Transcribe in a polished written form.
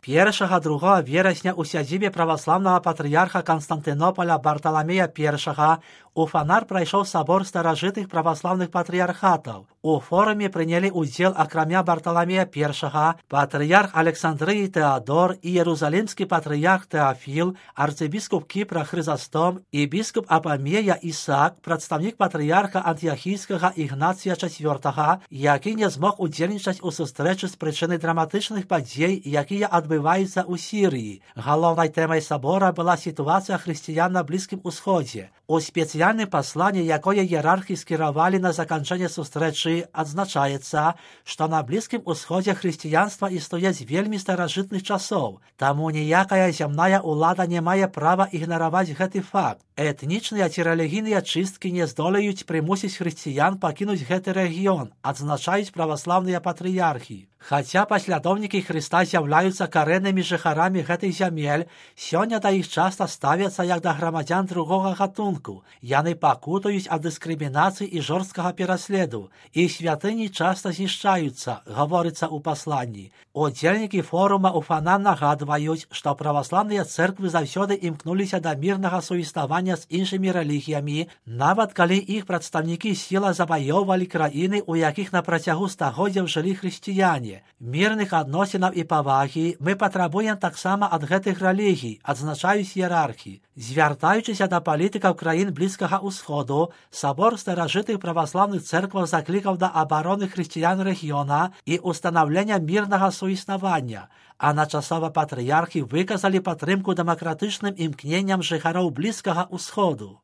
1-2 верасня ў сядзібе праваслаўнага патрыярха Канстантынополя Барталамея I у Фанар прайшоў сабор старажытных праваслаўных патрыярхатаў. У форуме прынялі ўдзел акрамя Барталамея I, патрыярх Александрыі Тэадор і Иерусалимскі патрыярх Тэафіл, арцыбіскуп Кіпра Хрызастом і біскуп Апамея Ісаак, прадстаўнік патрыярха Антыахійскага Ігнація IV, які не змог удзельнічаць у сустрэчы з прычыны драматычных падзей, якія адбываюцца ў Сірыі. Галоўнай тэмай сабора была сітуацыя хрысціян на Блізкім Усходзе. У спецыяльным пасланні, якое іерархі скіравалі на заканчэнне сустрэчы, адзначаецца, што на Блізкім Усходзе хрысціянства існуе з вельмі старажытных часоў, таму ніякая зямная ўлада не мае права ігнараваць гэты факт. Этнічныя ці рэлігійныя чысткі не здолеюць прымусіць хрысціян пакінуць гэты рэгіён, адзначаюць праваслаўныя патрыярхі. Хаця паслядоўнікі Хрыста з'яўляюцца карэннымі жыхарамі гэтых зямель, сёння да іх часта ставяцца як да грамадзян другога гатунку. Яны пакутаюць ад дыскрымінацыі і жорсткага пераследу. Іх святыні часта знішчаюцца, гаворыцца ў пасланні. Удзельнікі форума ў Фанар нагадваюць, што праваслаўныя цэрквы заўсёды імкнуліся да мірнага суіснавання з іншымі рэлігіямі, нават калі іх прадстаўнікі сіла заваёўвалі краіны, у якіх на працягу стагоддзяў жылі хрысціяне. Мірных адносінаў і павагі мы патрабуем таксама ад гэтых рэлігій, адзначаюць іерархі. Звяртаючыся да палітыкаў краін Блізкага Ўсходу, сабор старажытых праваслаўных цэркваў заклікаў да абароны хрысціян рэгіёна і ўстанаўлення мірнага суіснавання, а начасова патрыярхі выказалі падтрымку дэмакратычным імкненням жыхароў Блізкага Ўсходу.